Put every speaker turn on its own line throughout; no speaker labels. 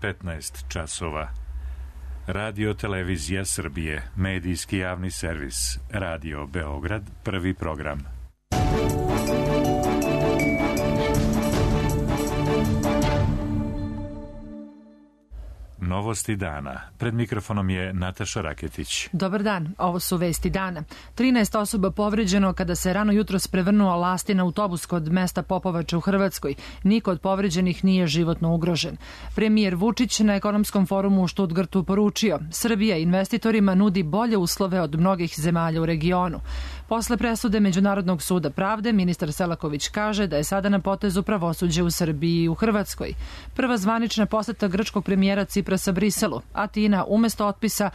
15 časova. Radio Televizija Srbije, medijski javni servis, Radio Beograd, prvi program. Novosti dana. Pred mikrofonom je Nataša Raketić.
Dobar dan, ovo su vesti dana. 13 osoba povređeno kada se rano jutros prevrnuo lastin autobus kod mesta Popovača u Hrvatskoj. Niko od povređenih nije životno ugrožen. Premijer Vučić na ekonomskom forumu u Stuttgartu poručio: Srbija investitorima nudi bolje uslove od mnogih zemalja u regionu. Posle presude Međunarodnog suda pravde, ministar Selaković kaže da je sada na potezu pravosuđe u Srbiji i u Hrvatskoj. Prva zvanična poseta grčkog premijera Ciprasa Briselu. Atina umesto otpisa,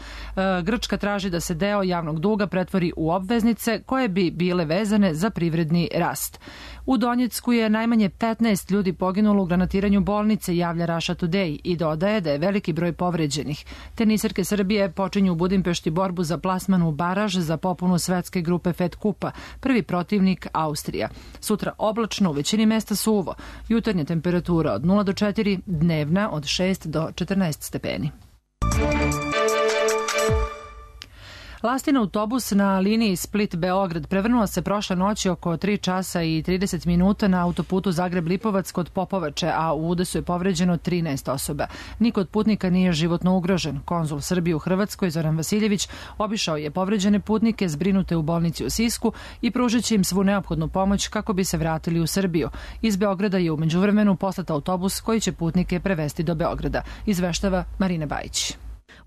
Grčka traži da se deo javnog duga pretvori u obveznice koje bi bile vezane za privredni rast. U Donjecku je najmanje 15 ljudi poginulo u granatiranju bolnice, javlja Russia Today, i dodaje da je veliki broj povređenih. Teniserke Srbije počinju u Budimpešti borbu za plasman u baraž za popunu svetske grupe Fed Kupa. Prvi protivnik Austrija. Sutra oblačno, u većini mesta suvo. Jutarnja temperatura od 0 do 4, dnevna od 6 do 14 stepeni. Lastin autobus na liniji Split-Beograd prevrnuo se prošle noći oko 3 časa i 30 minuta na autoputu Zagreb-Lipovac kod Popovače, a u udesu je povređeno 13 osoba. Niko od putnika nije životno ugrožen. Konzul Srbije u Hrvatskoj Zoran Vasiljević obišao je povređene putnike zbrinute u bolnici u Sisku i pružit će im svu neophodnu pomoć kako bi se vratili u Srbiju. Iz Beograda je u međuvremenu poslat autobus koji će putnike prevesti do Beograda, izveštava Marina Bajić.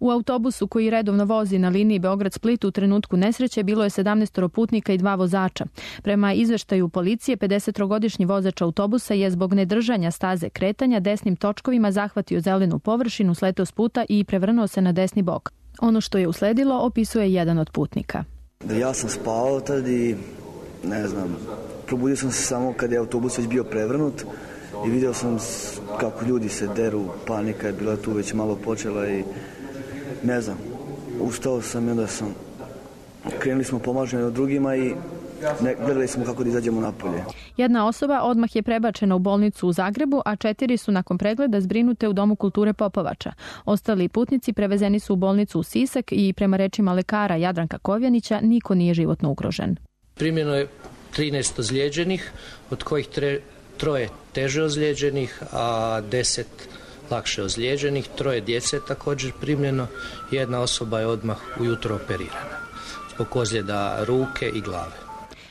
U autobusu koji redovno vozi na liniji Beograd-Split u trenutku nesreće bilo je 17 putnika i 2 vozača. Prema izveštaju policije, 50-godišnji vozač autobusa je zbog nedržanja staze kretanja desnim točkovima zahvatio zelenu površinu, sleteo s puta i prevrnuo se na desni bok. Ono što je usledilo opisuje jedan od putnika.
Ja sam spavao tad i probudio sam se samo kad je autobus već bio prevrnut i vidio sam kako ljudi se deru, panika je bila tu već malo počela i ustao sam i onda krenuli smo pomažemo drugima i gledali smo kako da izađemo napolje.
Jedna osoba odmah je prebačena u bolnicu u Zagrebu, a 4 su nakon pregleda zbrinute u Domu kulture Popovača. Ostali putnici prevezeni su u bolnicu u Sisak i prema rečima lekara Jadranka Kovjanića niko nije životno ugrožen.
Primljeno je 13 ozlijeđenih, od kojih 3 teže ozlijeđenih, a 10 lakše ozlijeđenih, 3 djece je također primljeno, jedna osoba je odmah ujutro operirana zbog ozljeda ruke i glave.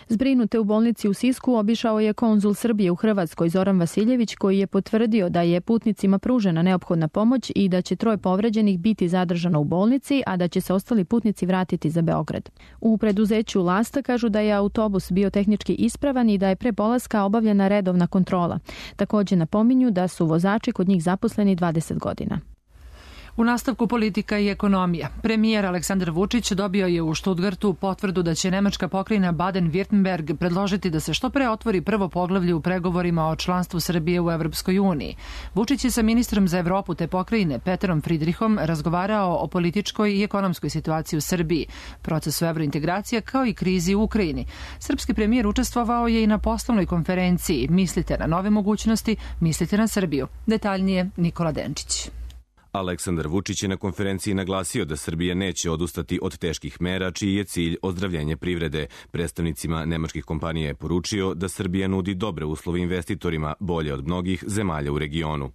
Zbrinute u bolnici u Sisku obišao je konzul Srbije u Hrvatskoj Zoran Vasiljević, koji je potvrdio da je putnicima pružena neophodna pomoć i da će 3 povređenih biti zadržano u bolnici, a da će se ostali putnici vratiti za Beograd. U preduzeću Lasta kažu da je autobus bio tehnički ispravan i da je pre polaska obavljena redovna kontrola. Također napominju da su vozači kod njih zaposleni 20 godina.
U nastavku politika i ekonomija. Premijer Aleksandar Vučić dobio je u Stuttgartu potvrdu da će nemačka pokrajina Baden-Württemberg predložiti da se što pre otvori prvo poglavlje u pregovorima o članstvu Srbije u Evropskoj uniji. Vučić je sa ministrom za Evropu te pokrajine Peterom Fridrihom razgovarao o političkoj i ekonomskoj situaciji u Srbiji, procesu evrointegracija kao i krizi u Ukrajini. Srpski premijer učestvovao je i na poslovnoj konferenciji Mislite na nove mogućnosti, mislite na Srbiju. Detaljnije Nikola Denčić.
Aleksandar Vučić je na konferenciji naglasio da Srbija neće odustati od teških mera čiji je cilj ozdravljenje privrede. Predstavnicima nemačkih kompanija je poručio da Srbija nudi dobre uslove investitorima, bolje od mnogih zemalja u regionu.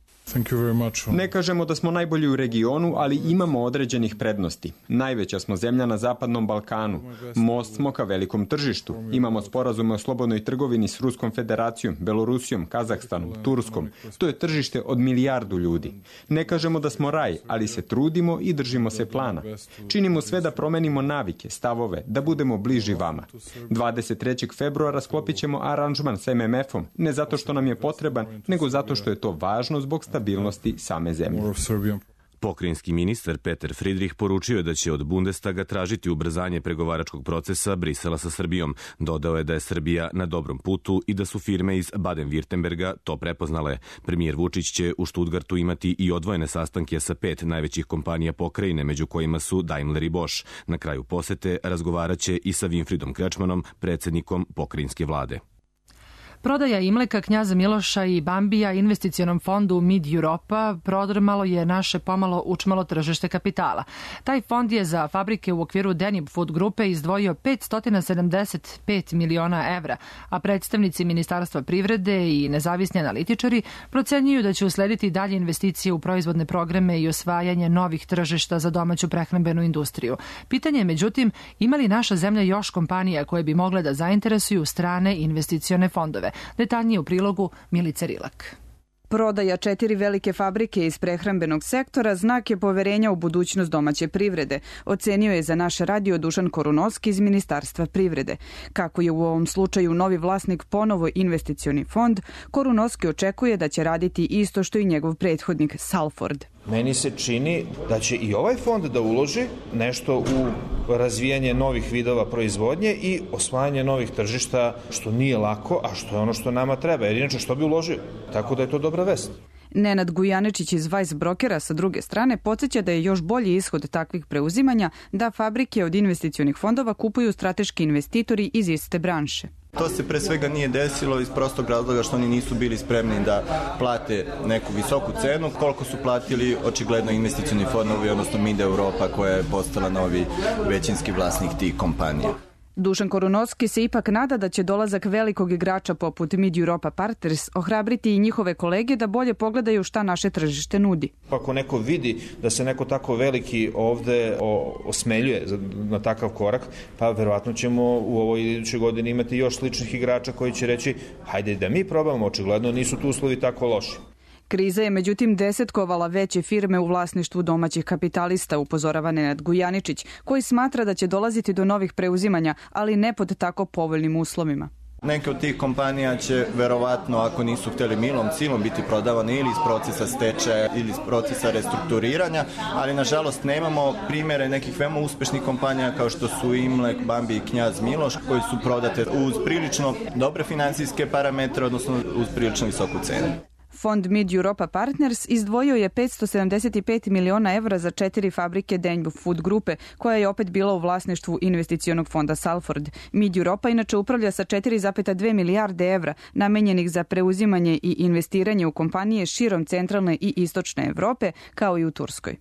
Ne kažemo da smo najbolji u regionu, ali imamo određenih prednosti. Najveća smo zemlja na Zapadnom Balkanu. Most smo ka velikom tržištu. Imamo sporazume o slobodnoj trgovini s Ruskom federacijom, Belorusijom, Kazahstanom, Turskom. To je tržište od 1 milijardu ljudi. Ne kažemo da smo raj, ali se trudimo i držimo se plana. Činimo sve da promenimo navike, stavove, da budemo bliži vama. 23. februara sklopit ćemo aranžman sa MMF-om, ne zato što nam je potreban, nego zato što je to važno zbog stabilnosti same zemlje.
Pokrajinski ministar Peter Fridrih poručio je da će od Bundestaga tražiti ubrzanje pregovaračkog procesa Brisela sa Srbijom. Dodao je da je Srbija na dobrom putu i da su firme iz Baden-Württemberga to prepoznale. Premijer Vučić će u Stuttgartu imati i odvojene sastanke sa 5 najvećih kompanija pokrajine, među kojima su Daimler i Bosch. Na kraju posete razgovaraće i sa Winfriedom Kretschmannom, predsjednikom pokrajinske vlade.
Prodaja Imleka, Knjaza Miloša i Bambija investicionom fondu Mid Europa prodrmalo je naše pomalo učmalo tržište kapitala. Taj fond je za fabrike u okviru Denib Food grupe izdvojio 575 miliona evra, a predstavnici Ministarstva privrede i nezavisni analitičari procenjuju da će uslediti dalje investicije u proizvodne programe i osvajanje novih tržišta za domaću prehrambenu industriju. Pitanje je, međutim, ima li naša zemlja još kompanija koje bi mogle da zainteresuju strane investicione fondove? Detaljnije u prilogu Milice Rilak.
Prodaja 4 velike fabrike iz prehrambenog sektora znak je poverenja u budućnost domaće privrede, ocenio je za naš radio Dušan Korunovski iz Ministarstva privrede. Kako je u ovom slučaju novi vlasnik ponovo investicioni fond, Korunovski očekuje da će raditi isto što i njegov prethodnik Salford.
Meni se čini da će i ovaj fond da uloži nešto u razvijanje novih vidova proizvodnje i osvajanje novih tržišta, što nije lako, a što je ono što nama treba. Jer inače što bi uložio? Tako da je to dobra vest.
Nenad Gujanečić iz Vice Brokera sa druge strane podsjeća da je još bolji ishod takvih preuzimanja da fabrike od investicionih fondova kupuju strateški investitori iz iste branše.
To se pre svega nije desilo iz prostog razloga što oni nisu bili spremni da plate neku visoku cenu, koliko su platili očigledno investicioni fondovi, odnosno Mid Europa koja je postala novi većinski vlasnik tih kompanija.
Dušan Korunovski se ipak nada da će dolazak velikog igrača poput Mid Europa Partners ohrabriti i njihove kolege da bolje pogledaju šta naše tržište nudi.
Ako neko vidi da se neko tako veliki ovde osmeljuje na takav korak, pa verovatno ćemo u ovoj idućoj godini imati još sličnih igrača koji će reći hajde da mi probamo, očigledno nisu tu uslovi tako loši.
Kriza je međutim desetkovala veće firme u vlasništvu domaćih kapitalista, upozorava Nenad Gujaničić, koji smatra da će dolaziti do novih preuzimanja, ali ne pod tako povoljnim uslovima.
Neke od tih kompanija će verovatno, ako nisu hteli milom silom, biti prodavane ili iz procesa stečaja ili iz procesa restrukturiranja, ali nažalost nemamo primere nekih veoma uspešnih kompanija kao što su Imlek, Bambi i Knjaz Miloš, koji su prodate uz prilično dobre finansijske parametre, odnosno uz prilično visoku cenu.
Fond Mid Europa Partners izdvojio je 575 miliona evra za 4 fabrike Denib Food grupe, koja je opet bila u vlasništvu investicionog fonda Salford. Mid Europa inače upravlja sa 4,2 milijarde evra namenjenih za preuzimanje i investiranje u kompanije širom centralne i istočne Evrope, kao i u Turskoj.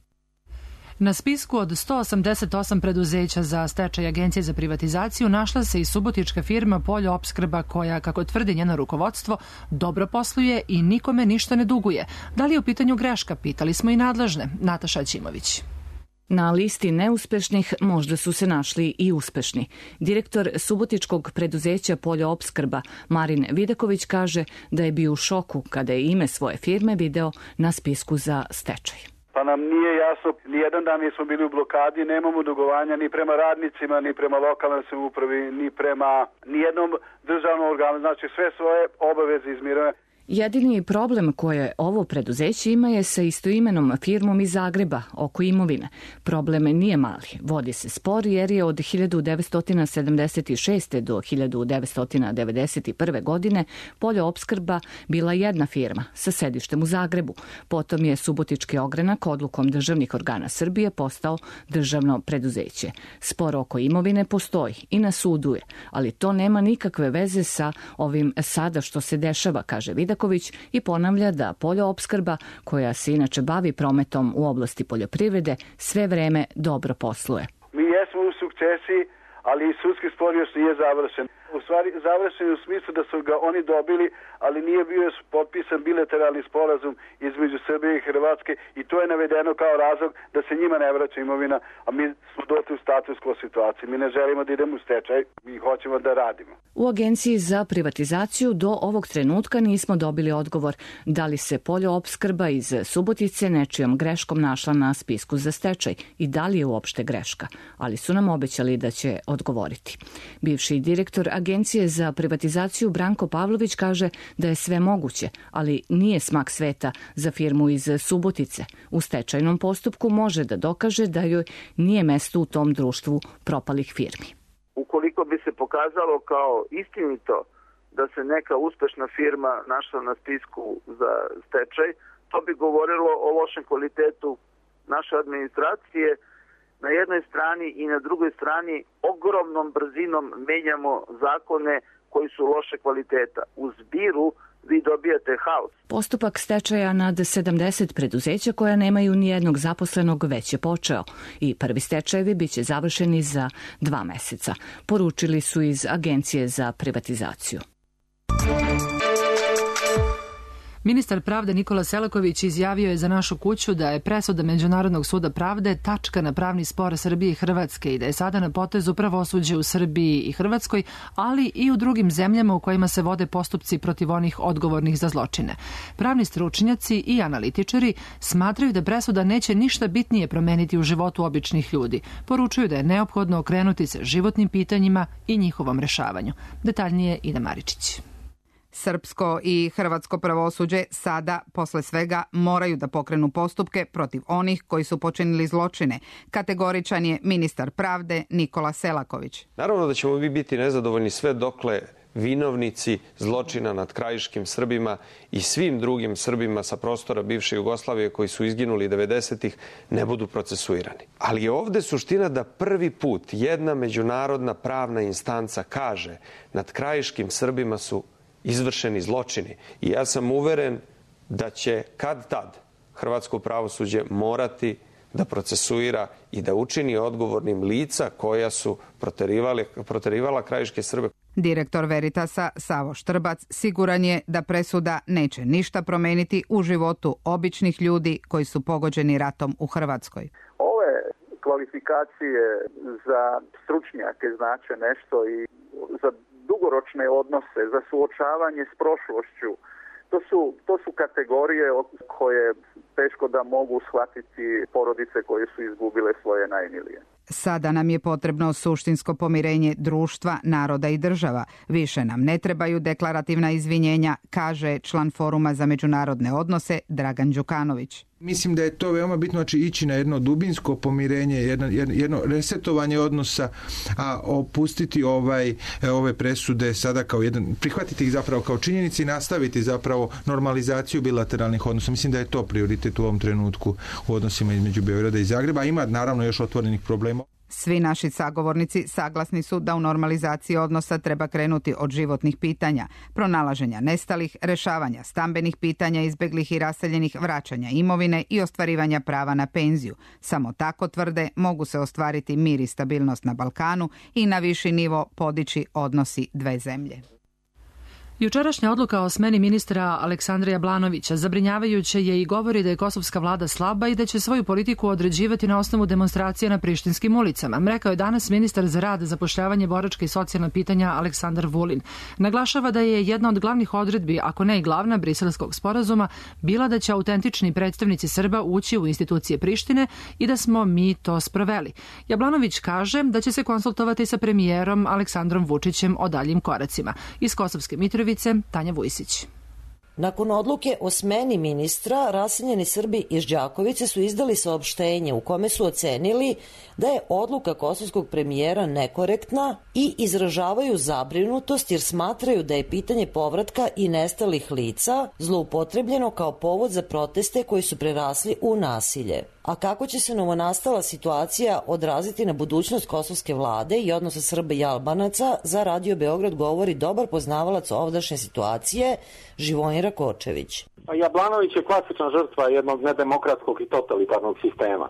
Na spisku od 188 preduzeća za stečaj Agencije za privatizaciju našla se i subotička firma Poljoopskrba koja, kako tvrdi njeno rukovodstvo, dobro posluje i nikome ništa ne duguje. Da li je u pitanju greška? Pitali smo i nadležne. Nataša Ćimović.
Na listi neuspešnih možda su se našli i uspešni. Direktor subotičkog preduzeća Poljoopskrba Marin Vidaković kaže da je bio u šoku kada je ime svoje firme video na spisku za stečaj.
Pa nam nije jasno, nijedan dan nismo bili u blokadi, nemamo dugovanja ni prema radnicima, ni prema lokalnoj samoupravi, ni prema nijednom državnom organu, znači sve svoje obaveze izmiruje.
Jedini problem koje ovo preduzeće ima je sa istoimenom firmom iz Zagreba oko imovine. Problem nije mali. Vodi se spor jer je od 1976. do 1991. godine Poljoopskrba bila jedna firma sa sedištem u Zagrebu. Potom je Subotički ogranak odlukom državnih organa Srbije postao državno preduzeće. Spor oko imovine postoji i na sudu je, ali to nema nikakve veze sa ovim sada što se dešava, kaže Vidaković, i ponavlja da Poljoopskrba, koja se inače bavi prometom u oblasti poljoprivrede, sve vreme dobro posluje.
Mi jesmo u sukcesiji, ali i sudski spor još nije završen. U stvari završen u smislu da su ga oni dobili, ali nije bio potpisan bilateralni sporazum između Srbije i Hrvatske i to je navedeno kao razlog da se njima ne vraća imovina, a mi smo došli u status quo situaciji. Mi ne želimo da idemo u stečaj, mi hoćemo da radimo.
U Agenciji za privatizaciju do ovog trenutka nismo dobili odgovor da li se Poljoopskrba iz Subotice nečijom greškom našla na spisku za stečaj i da li je uopšte greška, ali su nam obećali da će odgovoriti. Bivši direktor Agencije za privatizaciju Branko Pavlović kaže da je sve moguće, ali nije smak sveta za firmu iz Subotice. U stečajnom postupku može da dokaže da joj nije mesto u tom društvu propalih firmi.
Ukoliko bi se pokazalo kao istinito da se neka uspešna firma našla na spisku za stečaj, to bi govorilo o lošem kvalitetu naše administracije na jednoj strani i na drugoj strani ogromnom brzinom menjamo zakone koji su loše kvaliteta. U zbiru vi dobijate haos.
Postupak stečaja nad 70 preduzeća koja nemaju ni jednog zaposlenog već je počeo i prvi stečajevi biće završeni za 2 meseca, poručili su iz Agencije za privatizaciju.
Ministar pravde Nikola Selaković izjavio je za Našu kuću da je presuda Međunarodnog suda pravde tačka na pravni spor Srbije i Hrvatske i da je sada na potezu pravosuđe u Srbiji i Hrvatskoj, ali i u drugim zemljama u kojima se vode postupci protiv onih odgovornih za zločine. Pravni stručnjaci i analitičari smatraju da presuda neće ništa bitnije promeniti u životu običnih ljudi. Poručuju da je neophodno okrenuti se životnim pitanjima i njihovom rešavanju. Detaljnije Ida Maričić.
Srpsko i hrvatsko pravosuđe sada, posle svega, moraju da pokrenu postupke protiv onih koji su počinili zločine. Kategoričan je ministar pravde Nikola Selaković.
Naravno da ćemo mi biti nezadovoljni sve dokle vinovnici zločina nad krajiškim Srbima i svim drugim Srbima sa prostora bivše Jugoslavije koji su izginuli 90-ih ne budu procesuirani. Ali je ovde suština da prvi put jedna međunarodna pravna instanca kaže nad krajiškim Srbima su izvršeni zločini. I ja sam uveren da će kad tad hrvatsko pravosuđe morati da procesuira i da učini odgovornim lica koja su proterivala krajiške Srbe.
Direktor Veritasa Savo Štrbac siguran je da presuda neće ništa promeniti u životu običnih ljudi koji su pogođeni ratom u Hrvatskoj.
Ove kvalifikacije za stručnjake znače nešto i za dugoročne odnose, za suočavanje s prošlošću. To su kategorije koje teško da mogu shvatiti porodice koje su izgubile svoje najmilije.
Sada nam je potrebno suštinsko pomirenje društva, naroda i država. Više nam ne trebaju deklarativna izvinjenja, kaže član Foruma za međunarodne odnose Dragan Đukanović.
Mislim da je to veoma bitno, znači ići na jedno dubinsko pomirenje, jedno resetovanje odnosa, a opustiti ove presude sada kao prihvatiti ih zapravo kao činjenici i nastaviti zapravo normalizaciju bilateralnih odnosa. Mislim da je to prioritet u ovom trenutku u odnosima između Beograda i Zagreba. Ima naravno još otvorenih problema.
Svi naši sagovornici saglasni su da u normalizaciji odnosa treba krenuti od životnih pitanja, pronalaženja nestalih, rešavanja stambenih pitanja izbeglih i raseljenih, vraćanja imovine i ostvarivanja prava na penziju. Samo tako, tvrde, mogu se ostvariti mir i stabilnost na Balkanu i na viši nivo podići odnosi dve zemlje.
Jučerašnja odluka o smeni ministra Aleksandra Jablanovića zabrinjavajuće je i govori da je kosovska vlada slaba i da će svoju politiku određivati na osnovu demonstracija na prištinskim ulicama. Rekao je danas ministar za rad, zapošljavanje, boračka i socijalna pitanja Aleksandar Vulin. Naglašava da je jedna od glavnih odredbi, ako ne i glavna, Briselskog sporazuma bila da će autentični predstavnici Srba ući u institucije Prištine i da smo mi to sproveli. Jablanović kaže da će se konsultovati sa premijerom Aleksandrom Vučićem o daljim koracima. Iz Kosovske Mitrovice Tanja Vujsić.
Nakon odluke o smeni ministra, raseljeni Srbi iz Đakovice su izdali saopštenje u kome su ocenili da je odluka kosovskog premijera nekorektna i izražavaju zabrinutost jer smatraju da je pitanje povratka i nestalih lica zloupotrebljeno kao povod za proteste koji su prerasli u nasilje. A kako će se novonastala situacija odraziti na budućnost kosovske vlade i odnosa Srba i Albanaca, za Radio Beograd govori dobar poznavalac ovdašnje situacije Živojin Kočević.
Jablanović je klasična žrtva jednog nedemokratskog i totalitarnog sistema.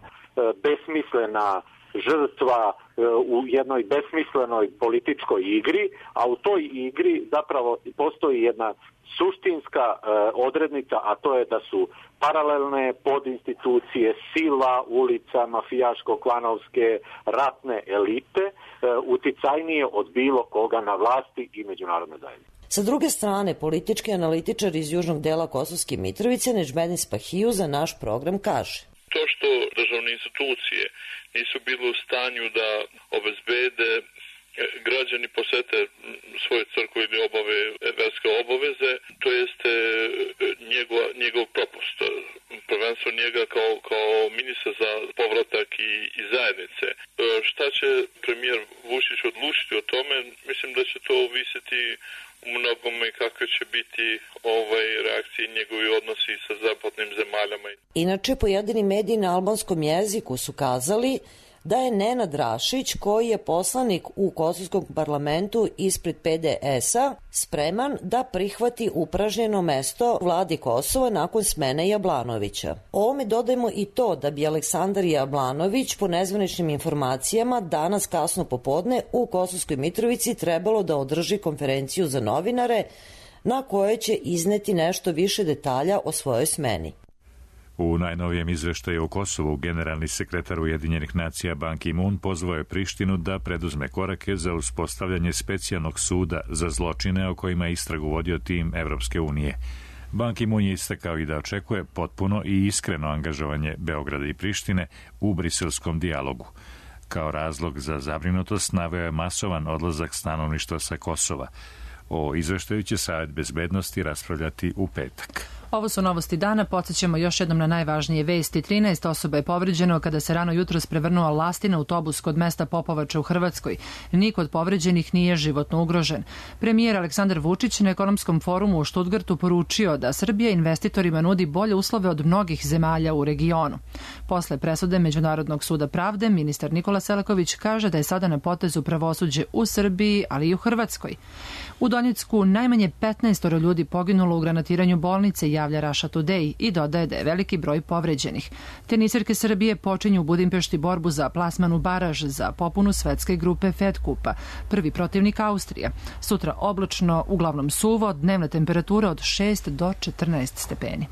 Besmislena žrtva u jednoj besmislenoj političkoj igri, a u toj igri zapravo postoji jedna suštinska odrednica, a to je da su paralelne podinstitucije, sila, ulica, mafijaško-klanovske, ratne elite uticajnije od bilo koga na vlasti i međunarodne zajednice.
Sa druge strane, politički analitičar iz južnog dela Kosovske Mitrovice Nežmedin Spahiju za naš program kaže:
To što državne institucije nisu bile u stanju da obezbede građani posete svoje crkve ili obave verske obaveze, to jeste njegov propust. Prvenstvo njega kao ministra za povratak i zajednice. Šta će premijer Vučić odlučiti o tome? Mislim da će to ovisiti u mnogome kakve će biti reakcije i njegovi odnosi sa zapadnim zemaljama.
Inače, pojedini mediji na albanskom jeziku su kazali da je Nenad Rašić, koji je poslanik u kosovskom parlamentu ispred PDS-a, spreman da prihvati upražnjeno mesto vladi Kosova nakon smene Jablanovića. Ovome dodajemo i to da bi Aleksandar Jablanović po nezvaničnim informacijama danas kasno popodne u Kosovskoj Mitrovici trebalo da održi konferenciju za novinare na kojoj će izneti nešto više detalja o svojoj smeni.
U najnovijem izveštaju o Kosovu generalni sekretar Ujedinjenih nacija Ban Ki-moon pozvao je Prištinu da preduzme korake za uspostavljanje specijalnog suda za zločine o kojima je istragu vodio tim Evropske unije. Ban Ki-moon je istakao i da očekuje potpuno i iskreno angažovanje Beograda i Prištine u briselskom dijalogu. Kao razlog za zabrinutost naveo je masovan odlazak stanovništva sa Kosova. O izveštaju će Savet bezbednosti raspravljati u petak.
Ovo su novosti dana, podsjećamo još jednom na najvažnije vesti. 13 osoba je povređeno kada se rano jutros prevrnuo lastina autobus kod mesta Popovača u Hrvatskoj. Niko od povređenih nije životno ugrožen. Premijer Aleksandar Vučić na ekonomskom forumu u Štutgartu poručio da Srbija investitorima nudi bolje uslove od mnogih zemalja u regionu. Posle presude Međunarodnog suda pravde, ministar Nikola Selaković kaže da je sada na potezu pravosuđe u Srbiji, ali i u Hrvatskoj. U Donjecku najmanje 15 ljudi poginulo u granatiranju bolnice, javlja Russia Today, i dodaje da je veliki broj povređenih. Tenisirke Srbije počinju u Budimpešti borbu za plasman u baraž za popunu svetske grupe Fed Kupa. Prvi protivnik Austrija. Sutra oblačno, uglavnom suvo, dnevna temperatura od 6 do 14 stepeni.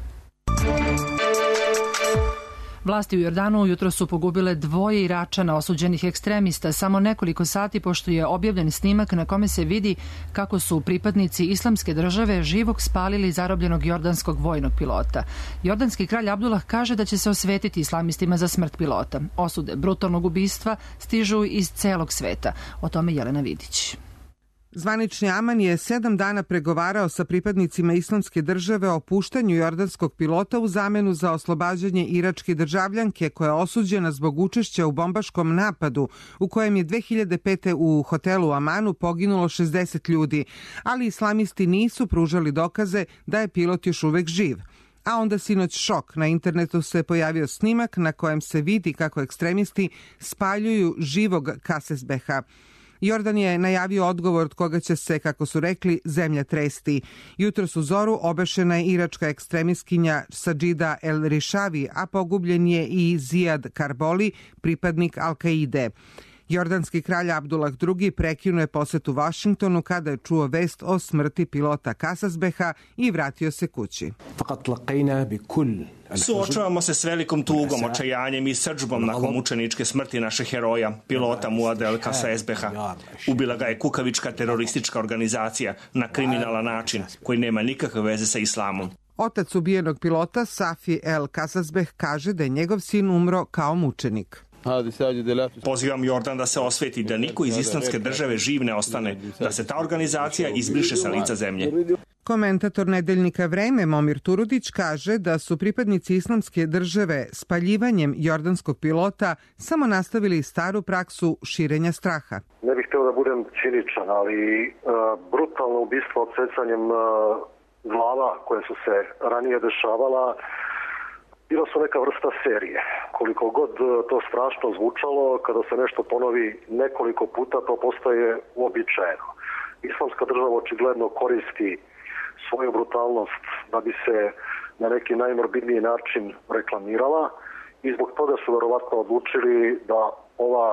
Vlasti u Jordanu jutro su pogubile 2 Iračana osuđenih ekstremista samo nekoliko sati pošto je objavljen snimak na kome se vidi kako su pripadnici Islamske države živog spalili zarobljenog jordanskog vojnog pilota. Jordanski kralj Abdullah kaže da će se osvetiti islamistima za smrt pilota. Osude brutalnog ubistva stižu iz celog sveta. O tome Jelena Vidić.
Zvanični Aman je 7 dana pregovarao sa pripadnicima Islamske države o puštanju jordanskog pilota u zamenu za oslobađanje iračke državljanke koja je osuđena zbog učešća u bombaškom napadu u kojem je 2005. u hotelu Amanu poginulo 60 ljudi, ali islamisti nisu pružali dokaze da je pilot još uvek živ. A onda sinoć šok. Na internetu se pojavio snimak na kojem se vidi kako ekstremisti spaljuju živog Kasesbeha. Jordan je najavio odgovor od koga će se, kako su rekli, zemlja tresti. Jutros u zoru obešena je iračka ekstremistkinja Sajida El Rishavi, a pogubljen je i Zijad Karboli, pripadnik Al-Kaide. Jordanski kralj Abdullah II prekinuo je posetu Vašingtonu kada je čuo vest o smrti pilota Kasasbeha i vratio se kući.
Suočavamo se s velikom tugom, očajanjem i srdžbom nakon mučeničke smrti našeg heroja, pilota Muada El Kasasbeha. Ubila ga je kukavička teroristička organizacija na kriminalan način koji nema nikakve veze sa islamom.
Otac ubijenog pilota Safi El Kasasbeh kaže da je njegov sin umro kao mučenik.
Pozivam Jordan da se osveti, da niko iz Islamske države živ ne ostane, da se ta organizacija izbriše sa lica zemlje.
Komentator nedeljnika Vreme Momir Turudić kaže da su pripadnici Islamske države spaljivanjem jordanskog pilota samo nastavili staru praksu širenja straha.
Ne bih htio da budem ciničan, ali brutalno ubistvo odsecanjem glava koje su se ranije dešavala bila su neka vrsta serije. Koliko god to strašno zvučalo, kada se nešto ponovi nekoliko puta, to postaje uobičajeno. Islamska država očigledno koristi svoju brutalnost da bi se na neki najmorbidniji način reklamirala i zbog toga su verovatno odlučili da ova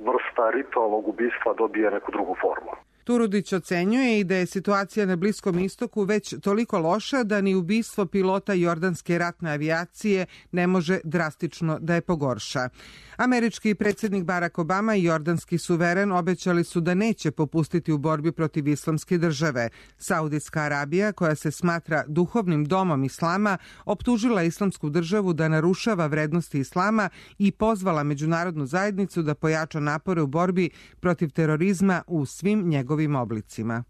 vrsta ritualnog ubistva dobije neku drugu formu.
Turudić ocenjuje i da je situacija na Bliskom istoku već toliko loša da ni ubistvo pilota jordanske ratne avijacije ne može drastično da je pogorša. Američki predsjednik Barack Obama i jordanski suveren obećali su da neće popustiti u borbi protiv Islamske države. Saudijska Arabija, koja se smatra duhovnim domom islama, optužila Islamsku državu da narušava vrednosti islama i pozvala međunarodnu zajednicu da pojača napore u borbi protiv terorizma u svim njegovim oblicima.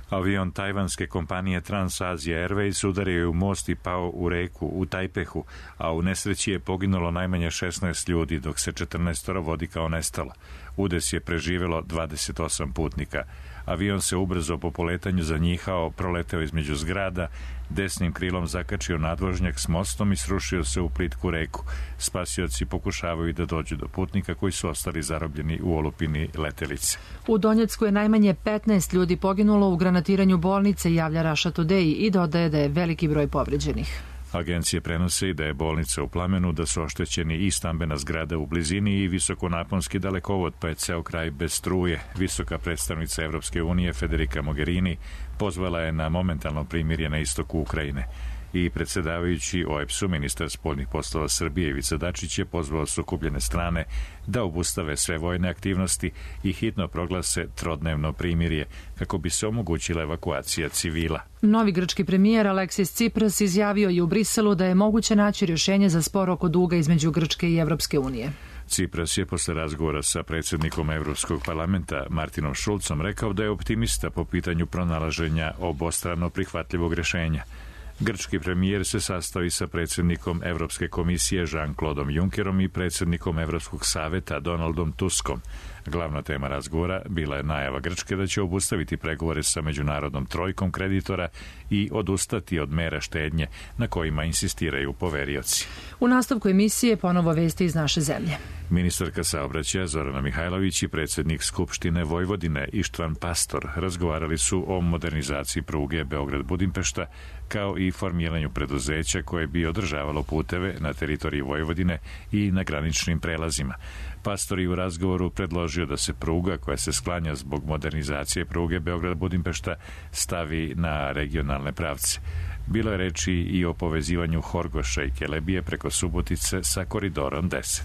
Avion tajvanske kompanije Transasia Airways udario je u most i pao u reku u Tajpehu, a u nesreći je poginulo najmanje 16 ljudi, dok se 14 vodi kao nestalo. Udes je preživelo 28 putnika. Avion se ubrzo po poletanju zanjihao, proleteo između zgrada, desnim krilom zakačio nadvožnjak s mostom i srušio se u plitku reku. Spasioci pokušavaju da dođu do putnika koji su ostali zarobljeni u olupini letelice.
U Donjecku je najmanje 15 ljudi poginulo u granatiranju bolnice, javlja Russia Today i dodaje da je veliki broj povređenih.
Agencije prenose i da je bolnica u plamenu, da su oštećeni i stambena zgrada u blizini i visokonaponski dalekovod, pa je ceo kraj bez struje. Visoka predstavnica Evropske unije Federica Mogherini pozvala je na momentalno primirje na istoku Ukrajine. I predsedavajući OEBS-u, ministar spoljnih poslova Srbije Ivica Dačić je pozvao sukobljene strane da obustave sve vojne aktivnosti i hitno proglase trodnevno primirje kako bi se omogućila evakuacija civila.
Novi grčki premijer Aleksis Tsipras izjavio je u Briselu da je moguće naći rješenje za spor oko duga između Grčke i Evropske unije.
Tsipras je posle razgovora sa predsjednikom Evropskog parlamenta Martinom Šulcom rekao da je optimista po pitanju pronalaženja obostrano prihvatljivog rješenja. Grčki premijer se sastao i sa predsjednikom Evropske komisije Jean-Claudeom Junckerom i predsjednikom Evropskog saveta Donaldom Tuskom. Glavna tema razgovora bila je najava Grčke da će obustaviti pregovore sa međunarodnom trojkom kreditora i odustati od mera štednje na kojima insistiraju poverioci.
U nastavku emisije ponovo vesti iz naše zemlje.
Ministarka saobraćaja Zorana Mihajlović i predsjednik Skupštine Vojvodine Ištvan Pastor razgovarali su o modernizaciji pruge Beograd-Budimpešta kao i formiranju preduzeća koje bi održavalo puteve na teritoriji Vojvodine i na graničnim prelazima. Pastor je u razgovoru predložio da se pruga koja se sklanja zbog modernizacije pruge Beograd-Budimpešta stavi na regionalne pravce. Bilo je reči i o povezivanju Horgoša i Kelebije preko Subotice sa koridorom 10.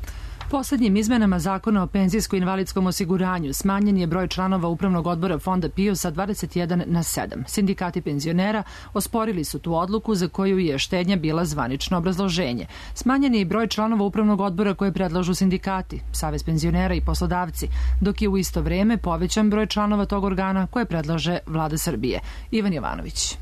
Poslednjim izmenama zakona o penzijsko-invalidskom osiguranju smanjen je broj članova upravnog odbora fonda PIO sa 21 na 7. Sindikati penzionera osporili su tu odluku za koju je štednja bila zvanično obrazloženje. Smanjen je i broj članova upravnog odbora koje predlažu sindikati, Savez penzionera i poslodavci, dok je u isto vreme povećan broj članova tog organa koje predlaže Vlada Srbije. Ivan Jovanović.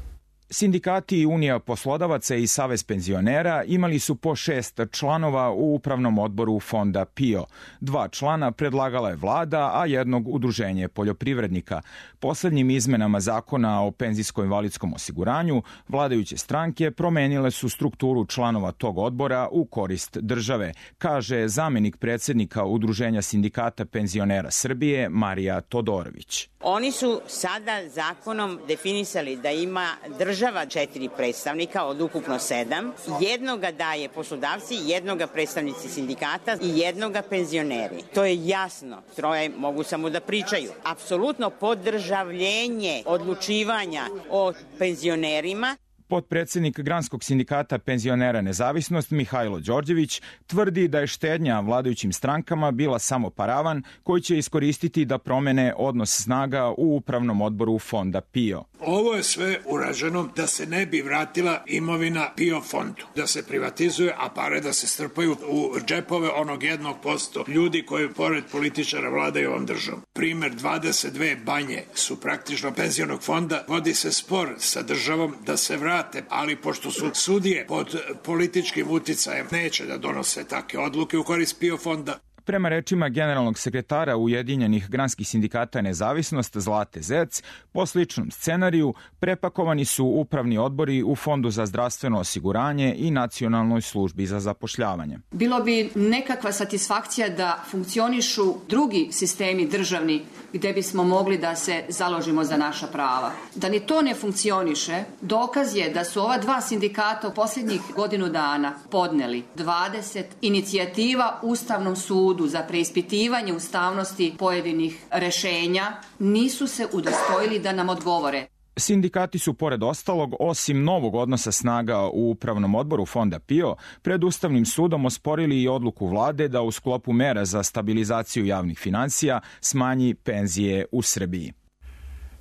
Sindikati i Unija poslodavaca i Savez penzionera imali su po 6 članova u upravnom odboru fonda PIO. 2 člana predlagala je vlada, a jednog udruženje poljoprivrednika. Poslednjim izmenama zakona o penzijsko-invalidskom osiguranju vladajuće stranke promenile su strukturu članova tog odbora u korist države, kaže zamenik predsjednika Udruženja sindikata penzionera Srbije Marija Todorović.
Oni su sada zakonom definisali da ima država 4 predstavnika od ukupno 7. Jednoga daje poslodavci, jednoga predstavnici sindikata i jednoga penzioneri. To je jasno. Troje mogu samo da pričaju. Apsolutno podržavljenje odlučivanja o penzionerima.
Potpredsjednik Granskog sindikata penzionera Nezavisnost Mihajlo Đorđević tvrdi da je štednja vladajućim strankama bila samo paravan koji će iskoristiti da promene odnos snaga u upravnom odboru fonda PIO.
Ovo je sve urađeno da se ne bi vratila imovina PIO fondu, da se privatizuje, a pare da se strpaju u džepove onog 1% ljudi koji pored političara vladaju ovom državom. Primer 22 banje su praktično penzionog fonda, vodi se spor sa državom da se vrate, ali pošto su sudije pod političkim uticajem, neće da donose takve odluke u korist PIO fonda.
Prema rečima generalnog sekretara Ujedinjenih granskih sindikata Nezavisnost Zlate Zec, po sličnom scenariju prepakovani su upravni odbori u Fondu za zdravstveno osiguranje i Nacionalnoj službi za zapošljavanje.
Bilo bi nekakva satisfakcija da funkcionišu drugi sistemi državni gde bismo mogli da se založimo za naša prava. Da ni to ne funkcioniše, dokaz je da su ova 2 sindikata u posljednjih godinu dana podneli 20 inicijativa Ustavnom sudu za preispitivanje ustavnosti pojedinih rešenja, nisu se udostojili da nam odgovore.
Sindikati su, pored ostalog, osim novog odnosa snaga u upravnom odboru fonda PIO, pred Ustavnim sudom osporili i odluku vlade da u sklopu mera za stabilizaciju javnih finansija smanji penzije u Srbiji.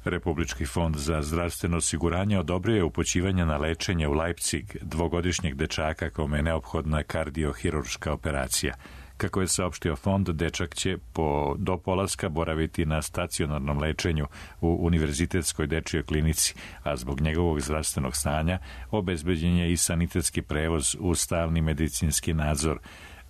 Republički fond za zdravstveno osiguranje odobrio je upućivanje na lečenje u Leipzig 2-godišnjeg dečaka kome je neophodna kardiohirurška operacija. Kako je saopštio fond, dečak će do polaska boraviti na stacionarnom lečenju u Univerzitetskoj dečijoj klinici, a zbog njegovog zdravstvenog stanja obezbeđen je i sanitetski prevoz u stalni medicinski nadzor.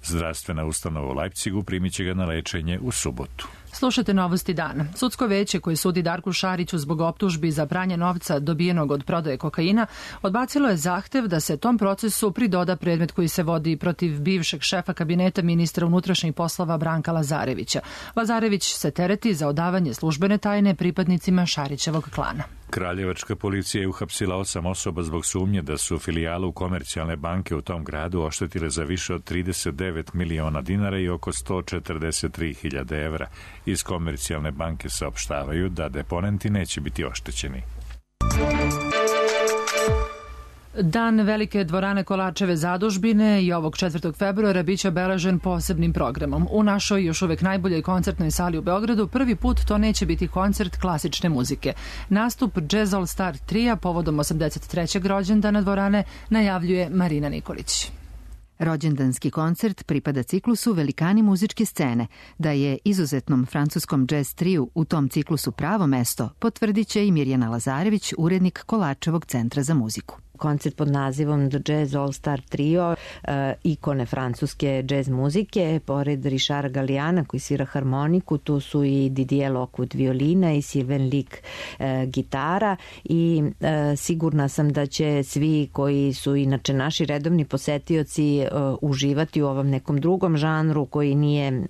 Zdravstvena ustanova u Leipzigu primit će ga na lečenje u subotu.
Slušajte novosti dana. Sudsko veće koje sudi Darku Šariću zbog optužbi za pranje novca dobijenog od prodaje kokaina odbacilo je zahtev da se tom procesu pridoda predmet koji se vodi protiv bivšeg šefa kabineta ministra unutrašnjih poslova Branka Lazarevića. Lazarević se tereti za odavanje službene tajne pripadnicima Šarićevog klana.
Kraljevačka policija je uhapsila 8 osoba zbog sumnje da su filijalu komercijalne banke u tom gradu oštetile za više od 39 miliona dinara i oko 143.000 evra. Iz komercijalne banke saopštavaju da deponenti neće biti oštećeni.
Dan Velike dvorane Kolačeve zadužbine i ovog 4. februara biće obeležen posebnim programom. U našoj još uvek najboljoj koncertnoj sali u Beogradu prvi put to neće biti koncert klasične muzike. Nastup Jazz All Star Tria povodom 83. rođendana dvorane najavljuje Marina Nikolić.
Rođendanski koncert pripada ciklusu Velikani muzičke scene. Da je izuzetnom francuskom jazz triju u tom ciklusu pravo mesto, potvrdit će i Mirjana Lazarević, urednik Kolačevog centra za muziku.
Koncert pod nazivom The Jazz All Star Trio, ikone francuske jazz muzike, pored Richarda Galliana koji svira harmoniku, tu su i Didier Lockwood violina i Sylvain Lick gitara i sigurna sam da će svi koji su inače naši redovni posetioci uživati u ovom nekom drugom žanru koji nije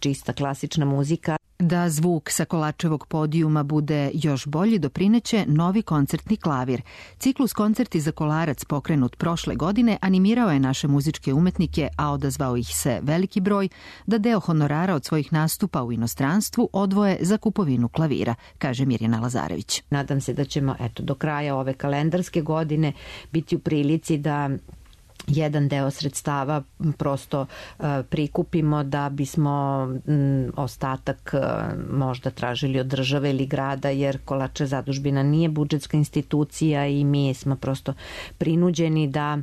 čista klasična muzika.
Da zvuk sa Kolačevog podijuma bude još bolji doprineće novi koncertni klavir. Ciklus Koncerti za Kolarac pokrenut prošle godine animirao je naše muzičke umetnike, a odazvao ih se veliki broj, da deo honorara od svojih nastupa u inostranstvu odvoje za kupovinu klavira, kaže Mirjana Lazarević.
Nadam se da ćemo do kraja ove kalendarske godine biti u prilici da jedan deo sredstava prosto prikupimo da bismo ostatak možda tražili od države ili grada, jer Kolačeva zadužbina nije budžetska institucija i mi smo prosto prinuđeni da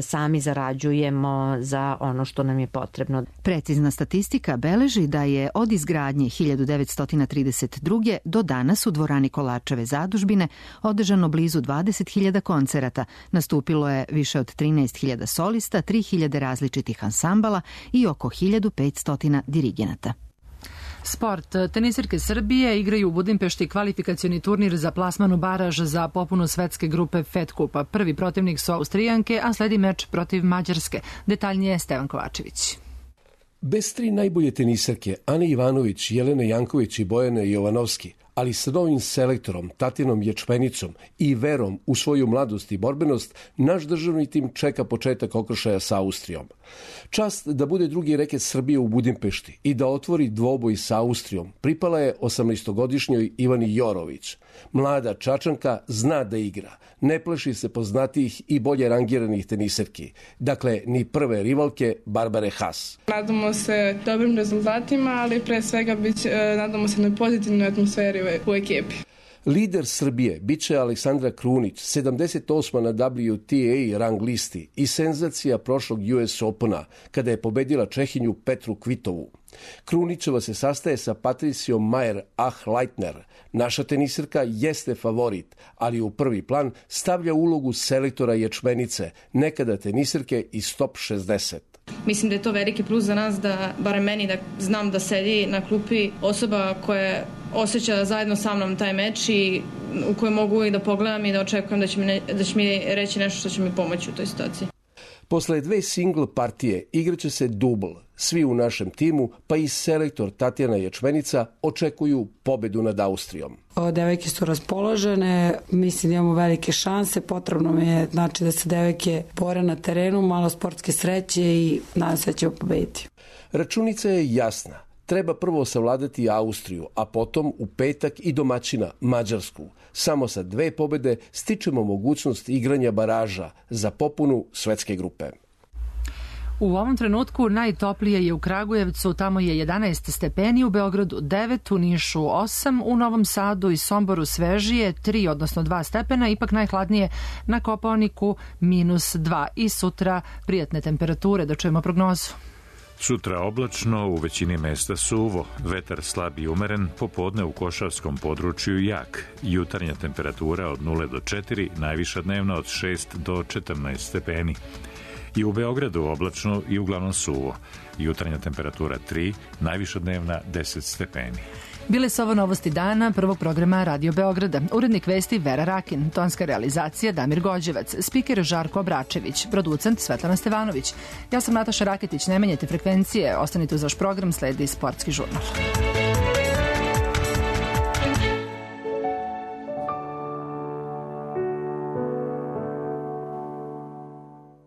sami zarađujemo za ono što nam je potrebno.
Precizna statistika beleži da je od izgradnje 1932. do danas u dvorani Kolačeve zadužbine održano blizu 20.000 koncerata, nastupilo je više od 13.000 solista, 3.000 različitih ansambala i oko 1.500 dirigenata.
Sport. Tenisirke Srbije igraju u Budimpešti kvalifikacioni turnir za plasman u baraž za popunu svetske grupe Fed Kupa. Prvi protivnik su Austrijanke, a sledi meč protiv Mađarske. Detaljnije Stevan Kovačević.
Bez tri najbolje tenisarke, Ane Ivanović, Jelene Janković i Bojane Jovanovski, ali sa novim selektorom, Tatjanom Ječmenicom i verom u svoju mladost i borbenost, naš državni tim čeka početak okršaja sa Austrijom. Čast da bude drugi reket Srbije u Budimpešti i da otvori dvoboj sa Austrijom pripala je 18-godišnjoj Ivani Jorović. Mlada Čačanka zna da igra, ne plaši se poznatijih i bolje rangiranih tenisarki, dakle ni prve rivalke Barbare Haas.
Nadamo se dobrim rezultatima, ali pre svega nadamo se na pozitivnoj atmosferi u ekipi.
Lider Srbije biće Aleksandra Krunić, 78. na WTA rang listi i senzacija prošlog US Opena, kada je pobedila Čehinju Petru Kvitovu. Krunićeva se sastaje sa Patricijom Mayer-Achleitner. Naša tenisarka jeste favorit, ali u prvi plan stavlja ulogu selektora Ječmenice, nekada tenisarke iz top 60.
Mislim da je to veliki plus za nas, da barem meni, da znam da sedi na klupi osoba koja osjeća zajedno sa mnom taj meč i u kojoj mogu i da pogledam i da očekujem da će mi reći nešto što će mi pomoći u toj situaciji.
Posle dve single partije igraće se dubl. Svi u našem timu, pa i selektor Tatjana Ječmenica, očekuju pobedu nad Austrijom.
Devojke su raspoložene, mislim da imamo velike šanse, potrebno mi je da se devojke bore na terenu, malo sportske sreće i nadam se da ćemo pobediti.
Računica je jasna. Treba prvo savladati Austriju, a potom u petak i domaćina Mađarsku. Samo sa 2 pobede stičemo mogućnost igranja baraža za popunu svetske grupe.
U ovom trenutku najtoplije je u Kragujevcu, tamo je 11 stepeni, u Beogradu 9, u Nišu 8, u Novom Sadu i Somboru svežije 3, odnosno 2 stepena, ipak najhladnije na Kopaoniku -2 i sutra prijatne temperature. Da čujemo prognozu.
Sutra oblačno, u većini mesta suvo, vetar slab i umeren, popodne u Košavskom području jak, jutarnja temperatura od 0 do 4, najviša dnevna od 6 do 14 stepeni. I u Beogradu oblačno i uglavnom suvo. Jutarnja temperatura 3, najviša dnevna 10 stepeni.
Bile su ovo novosti dana prvog programa Radio Beograda. Urednik vesti Vera Rakin, tonska realizacija Damir Gođevac, spiker Žarko Obračević, producent Svetlana Stevanović. Ja sam Nataša Raketić, ne menjajte frekvencije, ostanite uz vaš program, sledi Sportski žurnal.